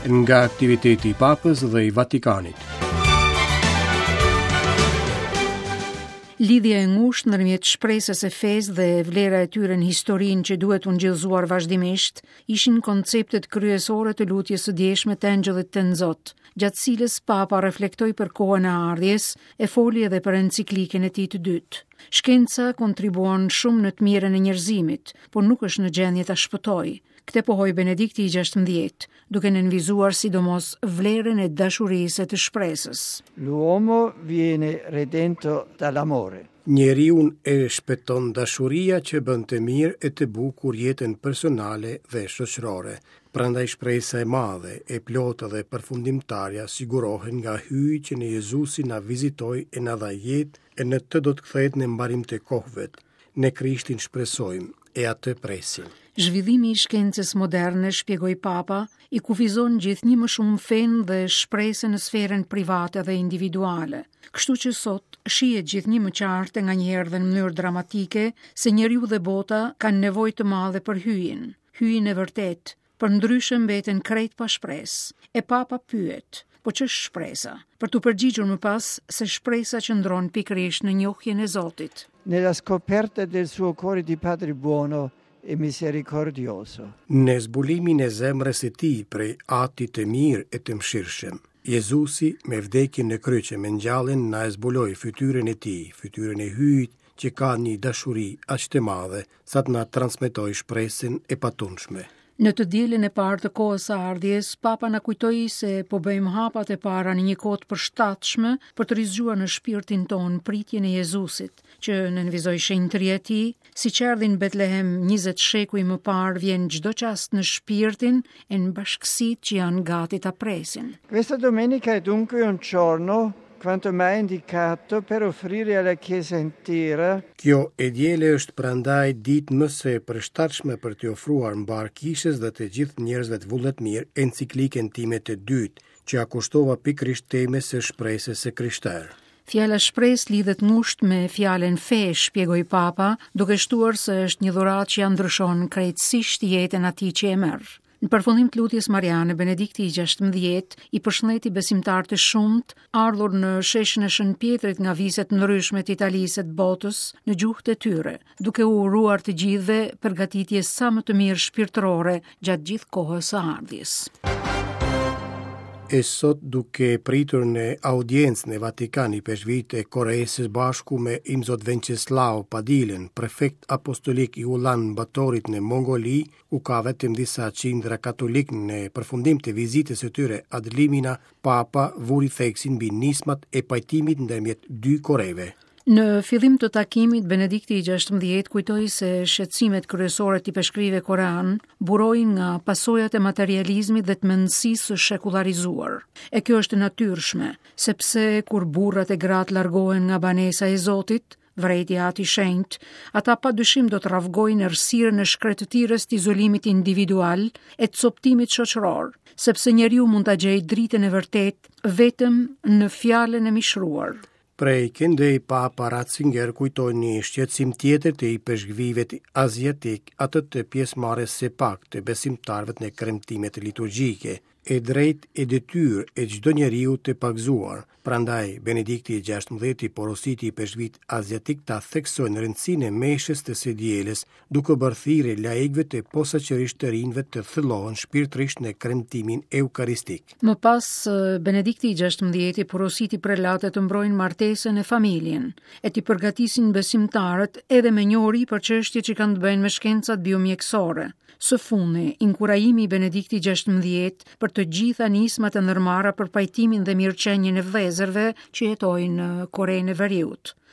Nga aktiviteti i Papës dhe i Vatikanit. Lidhja e ngushtë ndërmjet shpresës e fesë dhe vlera e tyre në historinë që duhet ungjillëzuar vazhdimisht, ishin konceptet kryesore të lutjes së djeshme të Engjëllit Tënzot, gjatë cilës Papa reflektoi për kohën e ardhjes e foli edhe për enciklikën e tij të dytë. Shkenca kontribuon shumë në të mirën e njerëzimit, por nuk është në gjendje ta shpëtojë. Këtë pohoi Benedikti i 16, duke nënvizuar sidomos vlerën e dashurisë e të shpresës. L'uomo viene redento dall'amore. Njeriun e shpëton dashuria që bën të mirë e të bukur jetën personale dhe shoqërore. Prandaj shpresa e madhe, e plotë dhe përfundimtarja sigurohen nga Hyji që në Jezusin na vizitoi e na dha jetë e në të do të kthehet në mbarim të kohëve. Në Krishtin shpresojmë e atë presim. Zhvillimi i shkencës moderne, shpjegoi Papa, i kufizon gjithnjë më shumë fenë dhe shpresën në sferën private dhe individuale. Kështu që sot shihet gjithnjë më qartë e nganjëherë dhe në mënyrë dramatike se njeriu dhe bota kanë nevojë të madhe për Hyjin, Hyjin e vërtetë, Përndryshe mbeten krejt pa shpresë. E Papa pyet, po ç'është shpresa? Për t'u përgjigjur më pas se shpresa qëndron pikërisht në njohjen e Zotit. Nella scoperta del suo cuore di Padre buono e misericordioso. Në zbulimin e zemrës së tij prej Ati të mirë e të mëshirshëm. Jezusi, me vdekjen në kryq e me ngjalljen na e zbuloi fytyrën e tij, fytyrën e Hyjit që ka një dashuri aq të madhe sa të na transmetojë shpresën e patundshme. Në të dielën e parë të kohës së ardhjes, Papa na kujtoi se po bëjmë hapat e para në një kohë të përshtatshme për të rizgjuar në shpirtin tonë pritjen e Jezusit, që nënvizoi shenjtëria e tij, siç erdhi në Betlehem 20 shekuj më parë, vjen çdo çast në shpirtin e në bashkësitë që janë gati ta presin. Questa domenica è dunque un giorno quanto mai indicato per offrire alla Chiesa intera. Kjo e diele është prandaj ditë më se e përshtatshme për t'i ofruar mbarë Kishës dhe të gjithë njerëzve të vullnetmirë enciklikën time të dytë, që ia kushtova pikërisht temës së shpresës së krishterë. Fjala shpresë lidhet ngushtë me fjalën fe, shpjegoi Papa, duke shtuar se është një dhuratë që ia ndryshon krejtësisht jetën atij që e merr. Në përfundim të lutjes Mariane, Benedikti i 16 i përshëndeti besimtarët e shumtë, ardhur në sheshin e Shën Pjetrit nga vise të ndryshme të Italisë e të botës, në gjuhët e tyre, duke u uruar të gjithëve përgatitje sa më të mirë shpirtërore gjatë gjithë kohës së ardhjes. E sot duke pritur në audiencë në Vatikan ipeshkvijtë e Koresë së bashku me Imzot Venceslao Padilën, prefekt apostolik i Ulan Batorit në Mongoli, ku ka vetëm disa qindra katolikë në përfundim të vizitës së tyre ad limina, Papa vuri theksin mbi nismat e pajtimit ndërmjet dy Koreve. Në fillim të takimit, Benedikti i 16 kujtoi se shqetësimet kryesore të ipeshkvijve koreanë burojnë nga pasojat e materializmit dhe të mendësisë së shekullarizuar. E kjo është e natyrshme, sepse kur burrat e gratë largohen nga banesa e Zotit, Vërejti Ati i Shenjtë, ata pa dyshim do të rravgojnë errësirën e shkretëtirës të izolimit individual e të copëtimit shoqëror, sepse njeriu mund ta gjejë dritën e vërtetë vetëm në fjalën e mishëruar. Prej këndej Papa Ratzinger kujtoi një shqetësim tjetër të ipeshkvijve aziatikë, atë të pjesëmarrjes së paktë të besimtarëve në kremtimet liturgjike. e drejtë e detyrë e çdo njeriu të pagëzuar. Prandaj, Benedikti i XVI porositi ipeshkvijtë aziatikë ta theksojnë rëndësinë e meshës të së dielës, duke bërë thirrje laikëve e posaçërisht të rinjve të thellohen shpirtërisht në kremtimin eukaristik. Më pas, Benedikti i XVI porositi prelatët të mbrojnë martesën e familjen, e t'i përgatisin besimtarët edhe me njohuri për çështje që kanë të bëjnë me shkencat biomjekësore. Së fundi, inkurajimi i Benediktit XVI për të gjitha nismat e ndërmarra për pajtimin dhe mirëqenien e vëllezërve që jetojnë në Korenë e Veriut.